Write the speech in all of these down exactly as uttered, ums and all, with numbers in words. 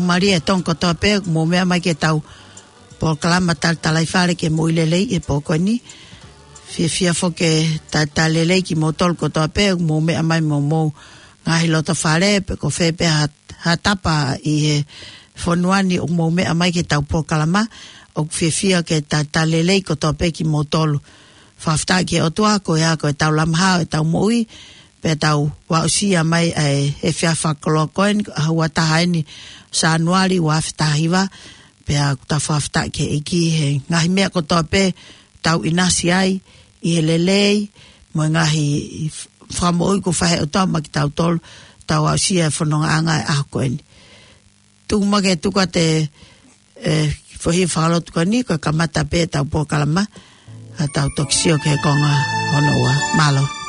Mālie e Tonga kotoa pē ʻoku mou meʻa mai ki heʻetau polokalama Talatalaifale ke mou ʻi lelei he pō ko eni. Fiefia foki ke talitali lelei kimoutolu kotoa pē ʻoku mou meʻa mai mo homou ngaahi lotofale pe ko fē pē ha, ha tapa ʻi he fonua ni ʻoku mou meʻa mai ki heʻetau polokalama. ʻOku fiefia ke talitali lelei kotoa pē kimoutolu. Fakafetaʻi ki he ʻOtua ko ia ko ʻetau lamaha ʻo ʻetau moʻui, pea tau aʻusia mai ʻa e efiafi fakakoloa ko eni, ʻaho ua taha eni Sānuali ua afe taha hiva, pea ʻoku tau fakafetaʻi ki he ʻEiki he ngaahi meʻa kotoa pē tau ʻinasi ai, ʻi he lelei, mo e ngaahi fakamoʻui kuo fai ʻe he ʻOtua maʻa kitautolu, tau aʻusia e fonongaʻanga ʻo e ʻaho ko eni. Tuku muʻa ke tuku atu e, e, foʻi fakalotu ko eni, ko e kamata pē ʻetau polokalama, ʻa tau toki sio ki he konga hono ua. Mālō.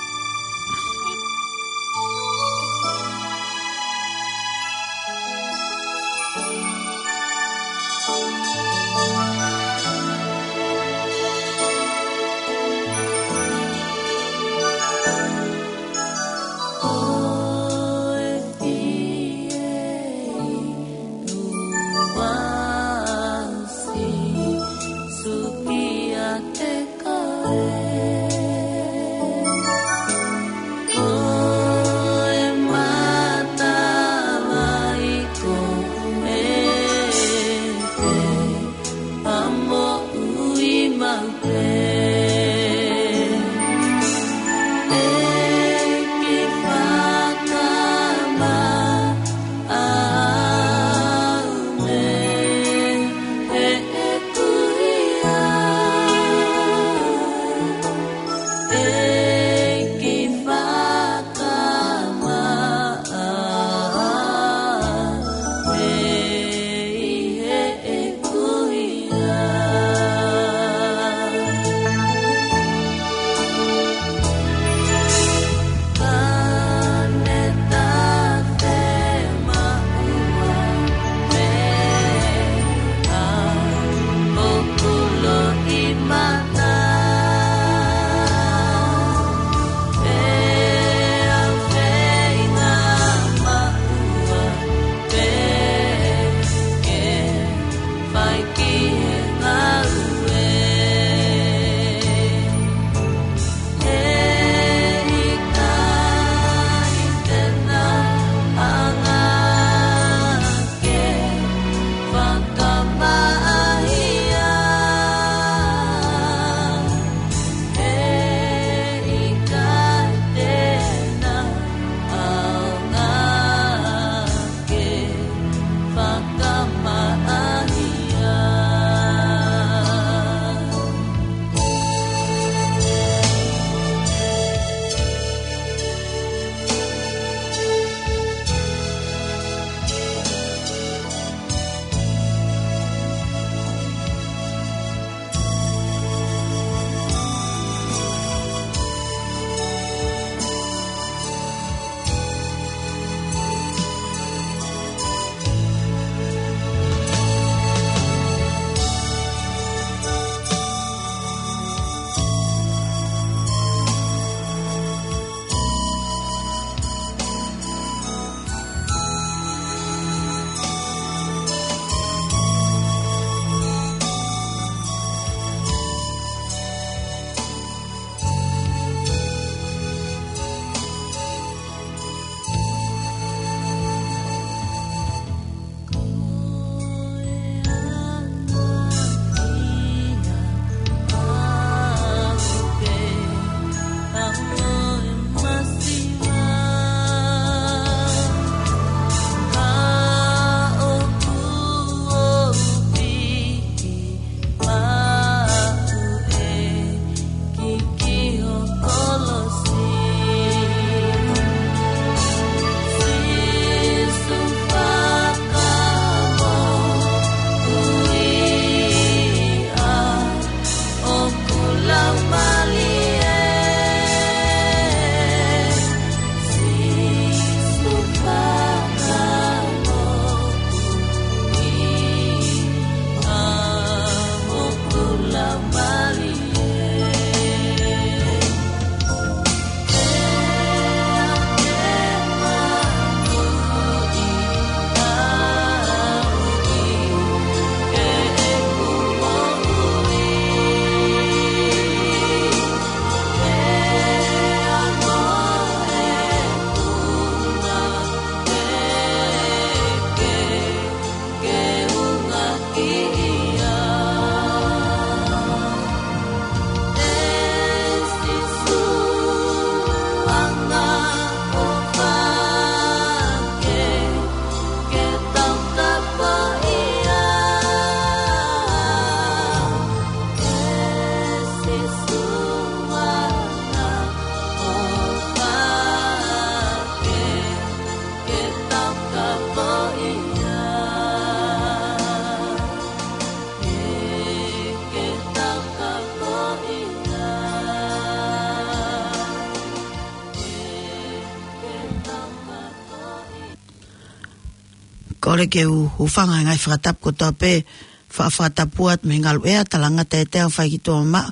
ʻOku ou hūfanga he ngaahi fakatapu kotoa pē, fa-, fakatapu atu mei he ngaluʻea, talangata e teau fai ki tuʻa maʻa,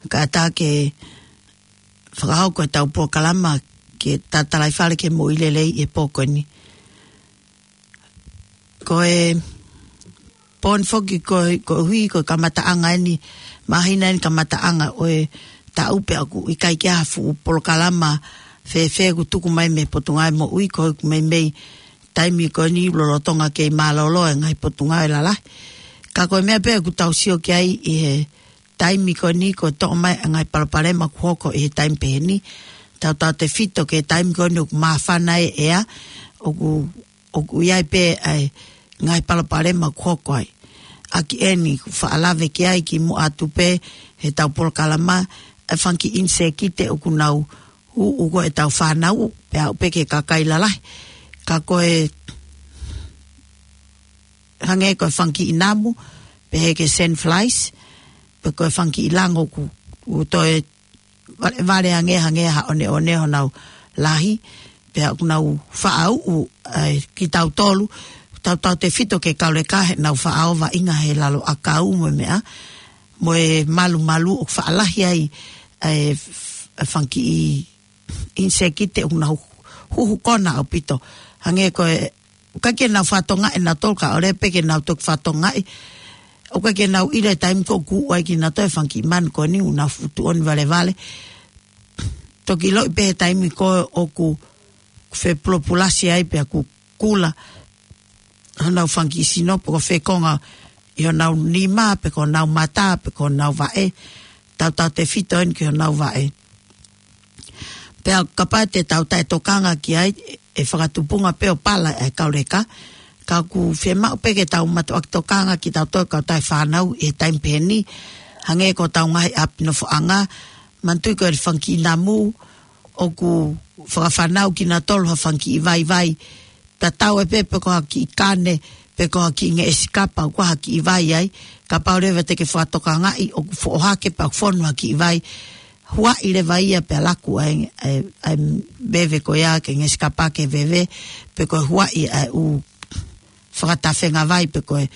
kae ʻatā ke fakahoko ʻetau polokalama ke tatalaifale ke moʻui lelei he pō ko eni. Ko e pō ni foki ko, koeʻuhi ko e kamataʻanga eni, māhina eni kamataʻanga ʻo e taʻu pea ʻoku ʻikai ke ʻi ai ha fuʻu polokalama fēfē ʻoku tuku mai mei he Potungāue Moʻui, ko e ʻoku meimei taimi ko eni lolotonga kei mālōlō e ngaahi potungāue lalahi. Ka ko e meʻa pē ʻoku tau sio ki ai ʻi he taimi ko eni ko e toʻo mai e ngaahi palopalema ʻoku hoko ʻi he taimi pehē ni. Tautautefito ki he taimi ko eni ʻoku māfana e ʻea, ʻoku, ʻoku ʻi ai pē ʻa e ngaahi palopalema ʻoku hoko ai. ʻAki eni ʻoku faʻa lave ki ai kimuʻa atu pē heʻetau polokalama, e fanga kiʻi ʻinisēkite ʻoku nau ʻuʻu ko ʻetau fānau, pea aʻu pē ki he kakai lalahi. Ka ko e hangē ko e fanga kiʻi namu, pehē ki he sand flies, pe ko e fanga kiʻi lango ʻoku, ʻoku toe vale, vale ange, hangē ha ʻoneʻone honau lahi, pea ʻoku nau faʻa ʻuʻu ai kitautolu, tautautefito ki he kauleka heʻenau faʻa ō vaʻinga he lalo ʻakau mo e meʻa, mo e malumalu ʻoku faʻa lahi ai, ʻa e f-, ʻa e fanga kiʻi ʻinisēkite ʻoku nau huhu kona ʻaupito. Hangē ko e, ʻoku ʻikai ke nau fakatokangaʻi ʻenautolu ka ʻoku lelei pē ke nau toki fakatokangaʻi. ʻOku ʻikai ke nau ʻilo e taimi ko ē ʻoku ʻuʻu ai kinautolu e fanga kiʻi manu ko eni ʻoku nau fuʻu tuʻoni valevale. Toki ʻiloʻi pē he taimi ko ē ʻoku fepulopulasi ai pea ʻoku kula honau fanga kiʻi sino, pe ko e fekonga ʻi honau nima, pe ko honau mata, pe ko honau vaʻe, tautautefito eni ki honau vaʻe. Pea kapau te tau taʻetokanga ki ai, ʻe fakatupunga pē ʻo pala e kauleka. Ka ʻoku fiemaʻu pē ke tau mātuʻaki tokanga kitautolu kau taʻefānau ʻi he taimi pehē ni. Hangē ko ʻetau ngaahi ʻapi nofoʻanga, manatuʻi ko e fanga kiʻi namu, ʻoku fakafānau kinautolu ha fanga kiʻi vaivai. Tatau ai pē pe ko ha kiʻi kane, pe ko ha kiʻi ngeʻesi kapa, ʻoku ʻi ai ha kiʻi vai ai, kapau leva te ke fakatokangaʻi ʻoku foʻohake pea ʻoku fonu ha kiʻi vai. Huaʻi leva ia pea laku ai, ʻa e, ʻa e veve ko ia ki he ngeʻesi kapa ke veve, pe ko e huaʻi ʻa e ʻū fakatafenga vai, pe ko e,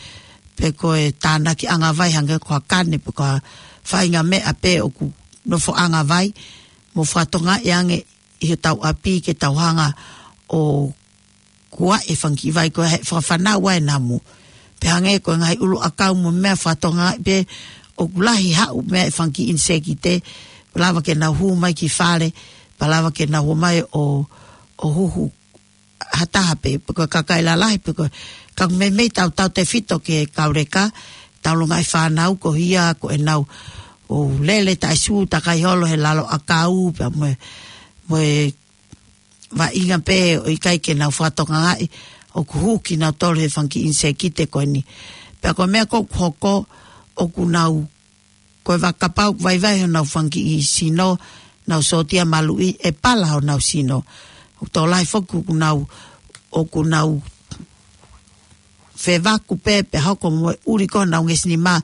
pe ko e tānakiʻanga vai hangē ko ha kane, pe ko ha faʻahinga meʻa pē ʻoku nofoʻanga vai, mo fakatokangaʻi ange ʻi hotau ʻapi ke tau hanga ʻo kuaʻi e fanga kiʻi vai ko ē he fakafānau ai e namu. Pea hangē ko e ngaahi ʻulu ʻakau mo e meʻa, fakatokangaʻi pē ʻoku lahi haʻu meʻa e fanga kiʻi ʻinisēkite, pea lava ke nau hū mai ki fale, pea lava ke nau hū mai ʻo, ʻo huhu ha taha pē, pe ko e kakai lalahi, pe ko e, ka ʻoku meimei tautautefito ki he kauleka, ʻetau ngaahi fānau ko ia ko ʻenau ō lele taʻesū takai holo he lalo ʻakau, pea mo e, mo e vaʻinga pē ʻoku ʻikai ke nau fakatokangaʻi ʻoku hū kinautolu he fanga kiʻi ʻinisēkite ko eni. Pea ko e meʻa ko ē ʻoku hoko, ʻoku nau, ko e va-, kapau ʻoku vaivai honau fanga kiʻi sino, nau sōtia maluʻi, ʻe pala honau sino. ʻOku tokolahi foki ʻoku nau, ʻoku nau fevaku pē, pea hoko mo e ʻuli ko ē honau ngeʻesi nima,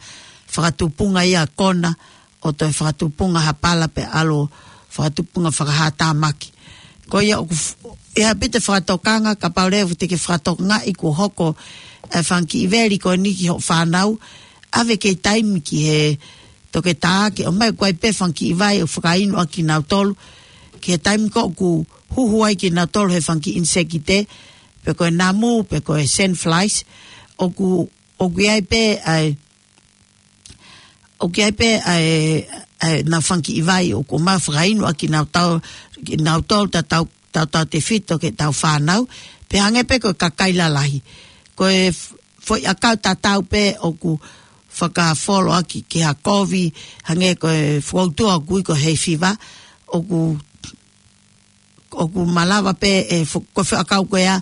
fakatupunga ia kona, ʻo toe fakatupunga ha pala pea ʻalu ʻo fakatupunga fakahātāmaki. Ko ia ʻoku f-, ʻe ʻaupito e fakatokanga, kapau leva te ke fakatokangaʻi kuo hoko e fanga kiʻi veli ko eni ki hoʻo fānau, ʻave kei taimi ki he toketā ke ʻomai, ʻoku ʻi ai pē fanga kiʻi vai ʻoku fakainu ʻaki kinautolu, ki he taimi ko ē ʻoku huhu ai kinautolu he fanga kiʻi ʻinisēkite, pe ko e namu, pe ko e sand flies, ʻoku, ʻoku ʻi ai pē ʻa e, ʻoku ʻi ai pē ʻa e, ʻa e, ʻenau fanga kiʻi vai ʻoku ʻomai ʻo fakainu ʻaki kinautolu, kinautolu tautau, tautautefito ki heʻetau fānau, pea hangē pē ko e kakai lalahi. Ko e f-, foʻi ʻakau tatau pē ʻoku fakafolo ʻaki ki ha kovi, hangē ko e fokoutua ʻoku ui ko e hay fever, ʻoku, ʻoku malava pē e fo-, ko e foʻi ʻakau ko ia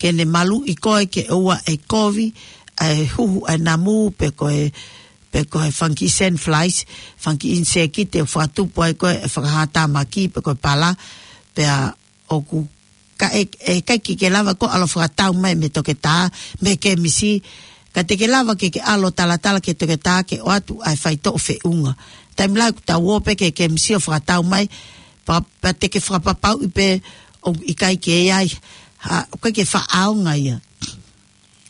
ke ne maluʻi koe ke ʻoua ʻe kovi, ʻa e huhu ʻa e namu pe ko e, pe ko e fanga kiʻi sand flies, fanga kiʻi ʻinisēkite ʻoku fakatupu ai ko ē e fakahātāmaki pe ko e pala, pea ʻoku ka ʻe, ʻe ʻikai ke ke lava koe ʻalu ʻo fakatau mai mei he toketā, mei he kemisi, ka te ke lava ke ke ʻalu ʻo talatala ki he toketā ke ʻoatu ʻa e faitoʻo feʻunga. Taimi lahi ʻoku tau ō pē ki he kemisi ʻo fakatau mai, pea, pea te ke fakapapauʻi pē ʻoku ʻikai ke ʻi ai ha, ʻoku ʻikai ke faʻa ʻaonga ia.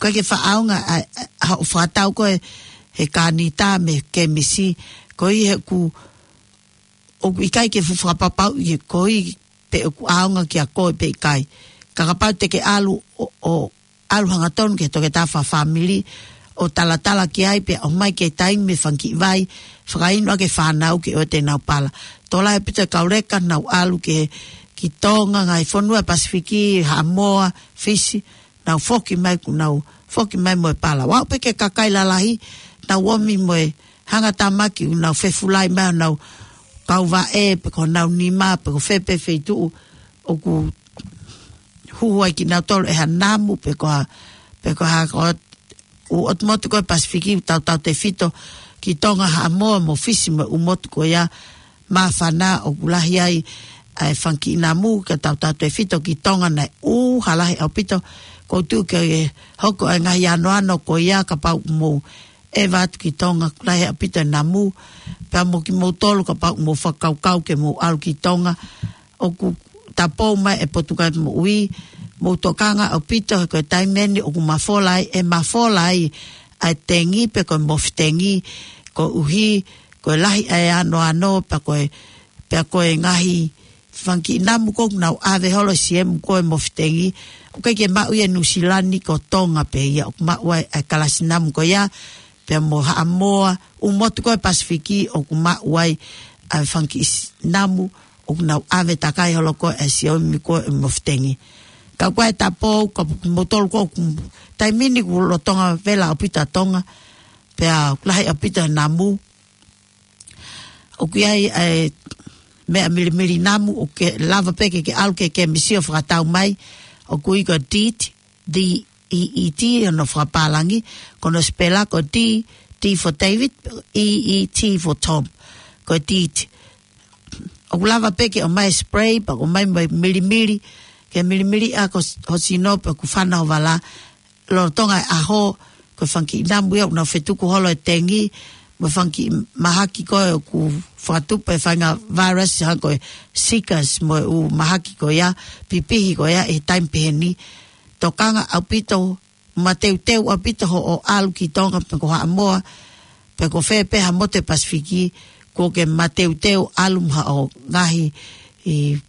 ʻikai ke fakaʻaonga ʻa, ʻa, ʻa hoʻo fakatau ko ē he kānita mei he kemisi, koeʻuhi he ʻoku, ʻoku ʻikai ke fuʻu fakapapauʻi he koeʻuhi pe ʻoku ʻaonga kia koe pe ʻikai. Ka kapau te ke ʻalu ʻo, ʻo ʻalu hangatonu ki he toketā fakafāmili ʻo talatala ki ai pea ʻomai ki he taimi mei he fanga kiʻi vai, fakainu ʻaki e fānau ke ʻoua te nau pala. Tokolahi ʻaupito e kau leka naʻa nau ʻalu ki, ki Tonga, ngaahi fonua Pasifiki, Haʻamoa, Fisi, nau foki mai, kuo nau foki mai mo e pala. ʻO aʻu pē ki he kakai lalahi, nau ō mai mo e hangatāmaki, kuo nau fefulai mai honau kauvaʻe, pe ko honau nima, pe ko fē pē feituʻu ʻoku huhu ai kinautolu ʻe ha namu, pe ko ha, pe ko ha, ko ʻū ʻotu motu ko ē Pasifiki, ʻū tautautefito ki Tonga, Haʻamoa mo Fisi mo e ʻū motu ko ia māfana ʻoku lahi ai ʻa e fanga kiʻi namu, ka tautautefito ki Tonga naʻe ʻū, ha lahi ʻaupito. ʻOku ou tui ke hoko e ngaahi anoano ko ia kapau ʻoku mou ʻeva atu ki Tonga, ʻoku lahi ʻaupito e namu. Pea mo kimoutolu kapau ʻoku mou fakakaukau ke mou ʻalu ki Tonga, ʻoku tapou mai e Potungāue Moʻui, mou tokanga ʻaupito he ko e taimi ʻeni ʻoku mafola ai, ʻe mafola ai ʻa e tengi pe ko e mofitengi, koeʻuhi ko e lahi ʻa e anoano, pea ko e, pea ko e ngaahi fanga kiʻi namu ko ē ʻoku nau ʻave holo ʻe siemu ko e mofitengi, ʻoku ʻikai ke maʻu ia ʻi Nuʻusila ni, ko Tonga pē ia ʻoku maʻu ai ʻa e kalasi namu ko ia, pea mo Haʻamoa, ʻū motu ko ē Pasifiki ʻoku maʻu ai ʻa e fanga kiʻi s-, namu ʻoku nau ʻave takai holo ko ē ʻe siemu ko e mofitengi. Ka ko e tapou, ka kimoutolu ko ē, taimi ni kuo lolotonga vela ʻaupito ʻa Tonga, pea ʻoku lahi ʻaupito e namu. ʻOku ʻi ai e meʻa milimili namu, ʻoku lava pē ke ke ʻalu ki he kemisi ʻo fakatau mai, ʻoku ui ko e DEET, D E E T, hono fakapālangi, ko hono sipela ko D, D for David, E E T for Tom. Ko e DEET. ʻOku lava pē ke ʻomai e spray, pea ke ʻomai mo e milimili, ke milimili ʻa ho sino pe ʻoku fana ho vala, lolotonga e ʻaho, ko e fanga kiʻi namu ia ʻoku nau fetuku holo e tengi, mo e fanga kiʻi mahaki ko ē ʻoku fakatupu e faʻahinga virus, hangē ko e Zika mo e ʻū mahaki ko ia, pipihi ko ia ʻi he taimi pehē ni. Tokanga ʻaupito, mateuteu ʻaupito hoʻo ʻalu ki Tonga pe ko Haʻamoa, pe ko fē pē ha motu Pasifiki, kuo ke mateuteu ʻalu mo haʻo ngaahi ʻi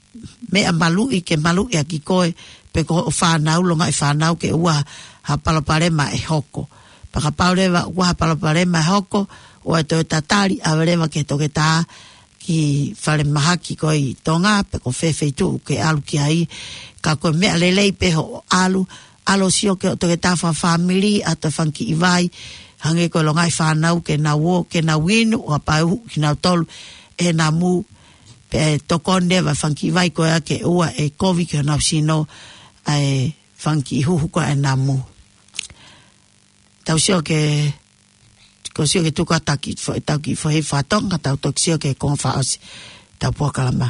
meʻa maluʻi ke maluʻi ʻaki koe, pe ko hoʻo fānau, longaʻi fānau ke ʻoua ha palopalema ʻe hoko. Pea kapau leva ʻoku ʻi ai ha palopalema ʻe hoko, ʻoua toe tatali, ʻave leva ki he toketā ki falemahaki ko ē ʻi Tonga, pe ko fē feituʻu ke ʻalu ki ai, ka ko e meʻa lelei pē hoʻo ʻalu, ʻalu ʻo sio ki he toketā fakafāmili, ʻoatu e fanga kiʻi vai, hangē ko e longaʻi fānau ke nau ō, ke nau inu, ʻo kapau ʻe uhu kinautolu ʻe he namu, pea tokoni leva e fanga kiʻi vai ko ia ke ʻoua ʻe kovi ki honau sino ʻa e fanga kiʻi huhu ko ē ʻa e namu. Tau sio ki he, ko e sio ki he tuku atu ʻa e kiʻi fo-, ʻetau kiʻi foʻi fakatonga, tau toki sio ki he konga fakaʻosi ʻetau polokalama.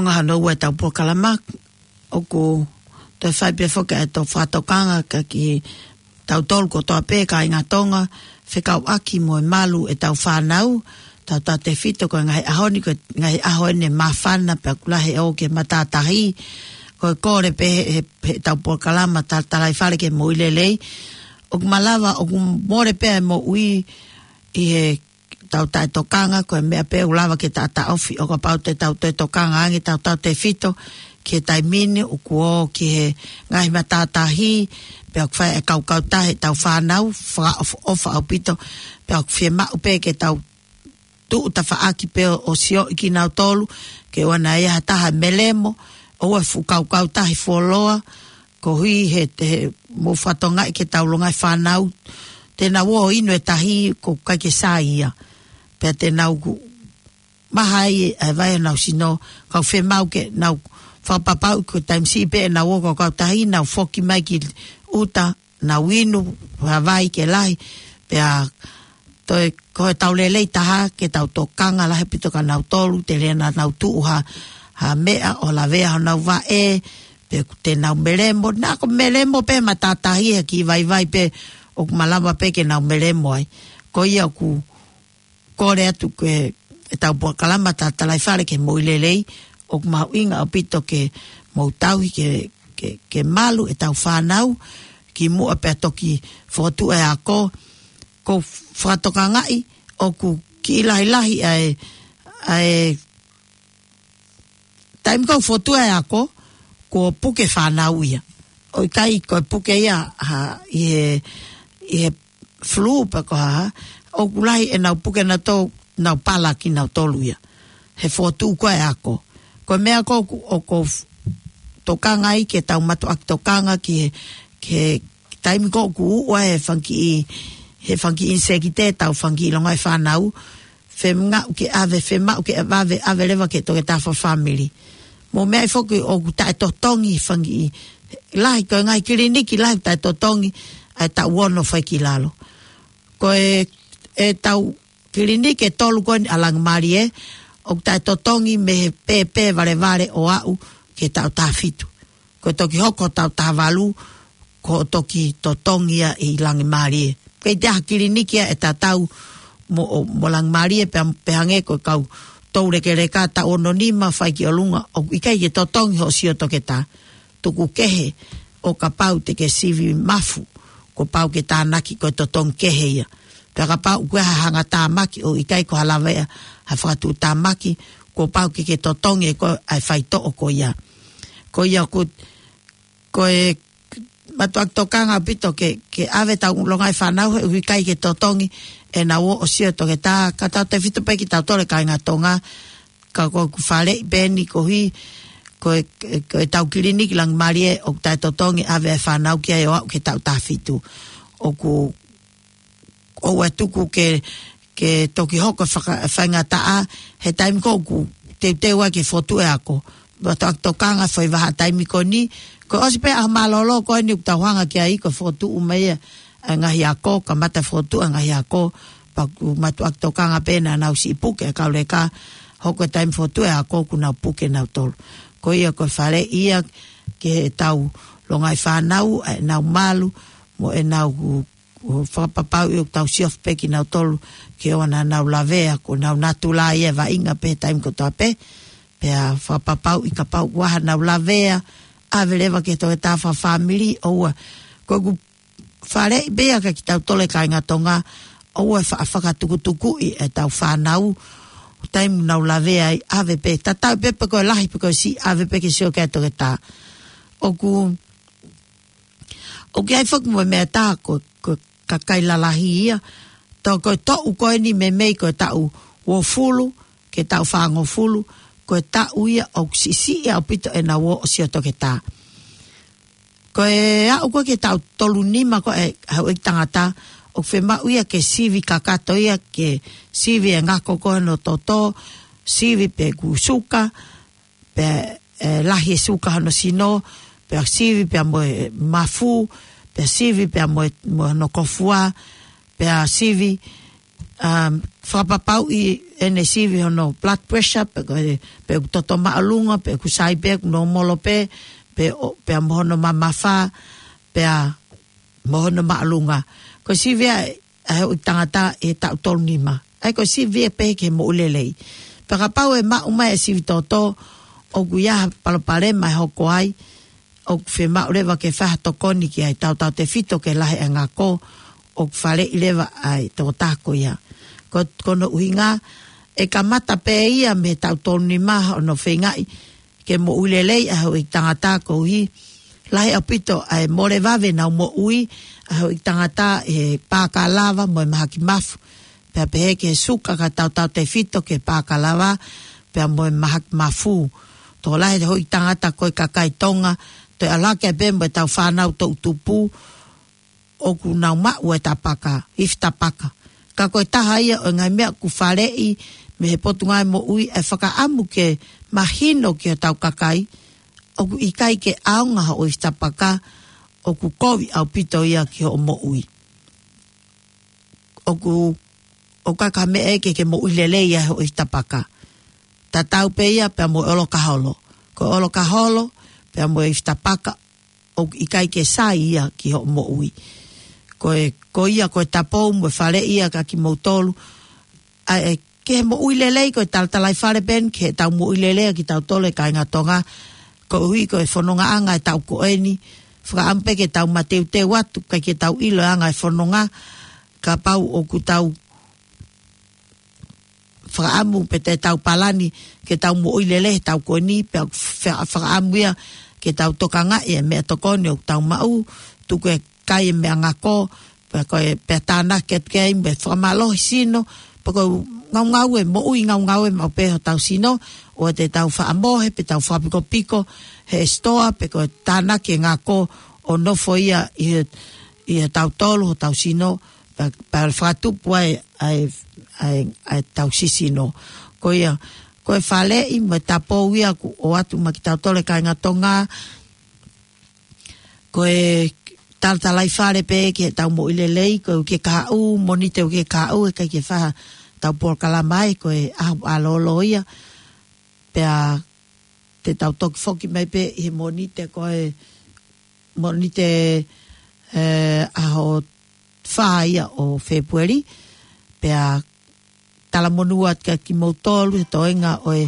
Ngaahi ʻa ʻetau polokalama, ʻoku toe fai pē foki ʻetau fakatokanga kia kitautolu kotoa pē kāinga Tonga, fekauʻaki mo e malu ʻetau fānau, tautautefito ko e ngaahi ʻaho ni, ko e ngaahi ʻaho ʻeni māfana pea ʻoku lahi e ō ki he matātahi, ko e kole pē he, he, heʻetau polokalama Talatalaifale ki he Moʻui Lelei, ʻoku malava, ʻoku mole pē ʻa e moʻui ʻi he tau taʻetokanga, ko e meʻa pē ʻoku lava ke taʻataʻofi, ʻo kapau te tau toe tokanga ange tautautefito ki he taimi ni ʻoku ō ki he ngaahi matātahi, pea ʻoku fai e kaukautaha ʻetau fānau, fakaʻofoʻofa ʻaupito, pea ʻoku fiemaʻu pē ke tau tuʻu tafaʻaki pē ʻo, ʻo sioʻi kinautolu, ke ʻoua naʻa ʻi ai ha taha melemo, ʻoua ʻe fuʻu kaukautaha fuoloa, koeʻuhi he, he mou fakatokangaʻi ke tau longaʻi fānau, te nau ō ʻo inu e tahi ʻoku ʻikai ke sai ia. Pea te nau ku-, maha ai ʻa e vai ʻenau sino, kau fiemaʻu ke nau fakapapauʻi ko e taimi siʻi pē ʻenau ō ki he kautahi, nau foki mai ki ʻuta, nau inu, ha vai ke lahi, pea toe ko e tau lelei taha ke tau tokanga lahi ʻaupito kia nautolu, telia naʻa nau tuʻu ha, ha meʻa ʻo lavea honau vaʻe, pe ʻoku te nau melemo, naʻa ko melemo pē matātahi he kiʻi vaivai pē ʻoku malava pē ke nau melemo ai. Ko ia ʻoku kole atu ke ʻetau polokalama Talatalaifale ki he Moʻui Lelei, ʻoku mahuʻinga ʻaupito ke mou tauhi ke, ke, ke malu ʻetau fānau, kimuʻa pea toki fokotuʻu e ako, ʻoku fakatokangaʻi, ʻoku kiʻi lahilahi ʻa e, ʻa e taimi ʻoku fokotuʻu e ako, kuo puke fānau ia. ʻOku ʻikai ko e puke ia, ha, ʻi he, ʻi he flu pe ko e hā, ʻoku lahi ʻenau puke nautolu, nau pala kinautolu ia. He fokotuʻu ko e ako. Ko e meʻa ʻoku, ʻoku f-, tokanga ai ke tau mātuʻaki tokanga ki he, ki he taimi ʻoku ʻuʻua he fanga kiʻi, he fanga kiʻi ʻinisekite ʻetau fanga kiʻi longaʻi fānau, fiemaʻu ke ʻave, fiemaʻu ke ʻave, ʻave leva ki he toketā fakafāmili. Mo e meʻa foki ʻoku taʻetotongi fanga kiʻi, lahi ko e ngaahi kiliniki lahi taʻetotongi, ʻa e taʻu ono fai ki lalo. Ko e, ʻetau kiliniki ʻe tolu ko eni ʻa Langimalie, ʻoku taʻetotongi mei he pēpē valevale ʻo aʻu ki he taʻu taha fitu. Ko e toki hoko taʻu taha valu, ko e toki totongi ia ʻi Langimalie. Kei te aha kiliniki ia ʻe tatau mo, mo Langimalie pea, pea hangē ko e kau toulekeleka taʻu ono nima fai ki ʻolunga, ʻoku ʻikai ke totongi hoʻo sio toketā. Tuku kehe ʻo kapau te ke sivi mafu, kuo pau ke tānaki ko e totongi kehe ia. Pea kapau ʻoku ʻi ai ha hangatāmaki ʻoku ʻikai ko ha lavea ha fakatuʻutāmaki, kuo pau ke ke totongi ʻe koe ʻa e faitoʻo ko ia. Ko ia ʻoku, ko e mātuʻaki tokanga ʻaupito ke, ke ʻave ʻetau longaʻi fānau he ʻoku ʻikai ke totongi ʻenau ō ʻo sio toketā, ka tautefito pē kitautolu kāinga Tonga, ka ko ʻeku faleʻi pē eni koeʻuhi, ko e, ko ʻetau kiliniki Langimalie ʻoku taʻetotongi ʻave e fānau ki ai ʻo aʻu ki he taʻu taha fitu. ʻOku, ʻoua ʻe tuku ke, ke toki hoko faka-, faingataʻa, he taimi ʻoku teuteu ai ke fokotuʻu e ako. Mātuʻaki tokanga fai vahaʻa taimi ko eni, ko e ʻosi pē ʻaho mālōlō ko eni ʻoku tau hanga ki ai ko e fokotuʻu mai ia, ʻa e ngaahi ako, kamata fokotuʻu e ngaahi ako, pea ʻoku mātuʻaki tokanga pē naʻa nau siʻi puke e kau leka, hoko e taimi fokotuʻu e ako kuo nau puke nautolu. Ko ia ko e faleʻi ia ki heʻetau longaʻi fānau, ʻa ʻenau malu, mo ʻenau ku-, ku-, fakapapauʻi ʻoku tau siofi pē kinautolu, ke ʻoua naʻa nau lavea, ko honau natula ia ʻe vaʻinga pē he taimi kotoa pē, pea fakapapauʻi kapau ʻoku ʻi ai haʻanau lavea, ʻave leva ki he toketā fakafāmili, ʻoua. Ko ʻeku faleʻi pē ia kia kitautolu kāinga Tonga, ʻoua ʻe fa-, fakatukutukuʻi ʻetau fānau, taimi ʻoku nau lavea ai, ʻave pē, tatau ai pē pe ko e lahi pe ko e siʻi, ʻave pē ke sio ki ai e toketā. ʻOku, ʻoku ʻi ai foki mo e meʻa ʻe taha ko, ko e kakai lalahi ia, tau ko e toʻu ko eni meimei ko e taʻu uofulu, ki he taʻu fāngofulu, ko e taʻu ia ʻoku siʻisiʻi ʻaupito ʻenau ō ʻo sio toketā. Ko e aʻu ko ē ki he taʻu tolu nima ko ē ʻa e houʻeiki tangata, ʻoku fiemaʻu ia ke sivi kakato ia, ke sivi e ngako ko ē hono toto, sivi pe ʻoku suka, pe, ʻe, lahi e suka hono sino, pea sivi pea mo e mafu, pea sivi pea mo e, mo hono kofua, pea sivi, um, fakapapauʻi ʻene sivi hono blood pressure, pe ko e, pe ʻoku toto māʻolunga, pe ʻoku sai pē, ʻoku nōmolo pē, pe ʻo, pea mo hono mamafa, pea mo hono māʻolunga. Ko e sivi ʻa e, ʻa e houʻeiki tangata ʻi he taʻu tolu nima. ʻA ia ko e sivi ia pē ki he moʻui lelei. Pea kapau ʻe maʻu mai e sivi toto, ʻoku ʻi ai ha palopalema ʻe hoko ai, ʻoku fiemaʻu leva ke fai ha tokoni ki ai, tautautefito ki he lahi ʻa e ngako, ʻoku faleʻi leva ʻa e tokotaha ko ia. Ko, ko hono ʻuhinga, ʻe kamata pē ia mei he taʻu tolu nima hono feingaʻi ke moʻui lelei ʻa e houʻeiki tangata koeʻuhi, lahi ʻaupito ʻa e mole vave ʻenau moʻui ʻa e houʻeiki tangata ʻi he pakalava mo e mahaki mafu. Pea pehē ki he suka kae tautautefito ki he pakalava, pea mo e mahaki mafu. Tokolahi e houʻeiki tangata ko e kakai Tonga, toe ʻalu hake pē mo ʻetau fānau toʻutupu, ʻoku nau maʻu e tapaka, ifi tapaka. Ka ko e taha ia ʻo e ngaahi meʻa ʻoku faleʻi mei he Potungāue Moʻui ʻa e fakaʻamu ke mahino ki hotau kakai, ʻoku ʻikai ke ʻaonga hoʻo ifi tapaka, ʻoku kovi ʻaupito ia ki hoʻo moʻui. ʻOku, ʻoku ʻikai ko ha meʻa ia ke, ke moʻui lelei ai hoʻo ifi tapaka. Tatau pē ia pea mo e ʻolokaholo. Ko e ʻolokaholo, pea mo e ifi tapaka, ʻoku ʻikai ke sai ia ki hoʻo moʻui. Ko e, ko ia, ko e tapou mo e faleʻi ia kia kimoutolu. ʻA e, ki he moʻui lelei, ko e talatalaifale pē eni ki heʻetau moʻui lelei ʻa kitautolu e kāinga Tonga. Koeʻuhi ko e fonongaʻanga ʻetau ko eni, fakaʻamu pē ke tau mateuteu atu, ʻikai ke tau ʻilo e anga e fononga, kapau ʻoku tau fakaʻamu pe te tau palani ke tau moʻui lelei he taʻu ko eni, pea fa-, fakaʻamu ia ke tau tokangaʻi e meʻatokoni ʻoku tau maʻu, tuku e kai e meʻangako, pea ko e, pea tānaki atu ki ai, pea fakamālohi sino, pea ko e ngaungaue, moʻui ngaungaue maʻu pē hotau sino, ʻoua te tau faʻa mohe, pe tau fakapikopiko he sitoa, pe ko e tānaki e ngako ʻo nofo ia ʻi he, ʻi he tautolu hotau sino, pea, pea fakatupu ai ʻa e, ʻa e, ʻa e tau sisino. Ko ia, ko e faleʻi mo e tapou ia ʻoku ʻoatu maʻa kitautolu e kāinga Tonga, ko e talatalaifale pē ki heʻetau moʻui lelei, ko e uike kahaʻu, Mōnite uike kahaʻu, ʻe ʻikai ke fai haʻatau polokalama ai, ko e ʻaho mālōlō ia, pea te tau toki foki mai pē ʻi he Mōnite, ko e Mōnite, ē, ʻaho fā ia ʻo Fēpueli, pea talamonū atu kia kimoutolu he toenga ʻo e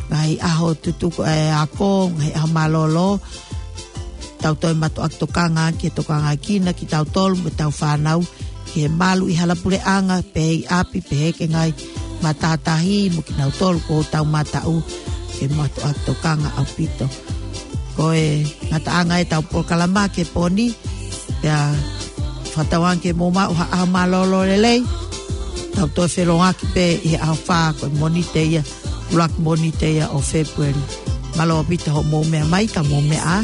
ngaahi ʻaho tutuku ʻa e ako, ngaahi ʻaho mālōlō, tau toe mātuʻaki tokanga ki he tokangaʻi kinautolu mo ʻetau fānau, ki he malu ʻi halapuleʻanga, pehē ʻi ʻapi, pehē ki he ngaahi matātahi, mo kinautolu kuo tau mataʻu, ke mātuʻaki tokanga ʻaupito. Ko e ngataʻanga ʻetau polokalama ki he pō ni, pea fakatauange ke mou maʻu ha ʻaho mālōlō lelei, tau toe feʻiloaki pē ʻi he ʻaho fā ko e Mōnite ia, ʻuluaki Mōnite ia ʻo Fēpueli. Mālō ʻaupito hoʻomou meʻa mai, ka mou meʻa ā,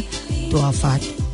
tuʻa ʻofa atu.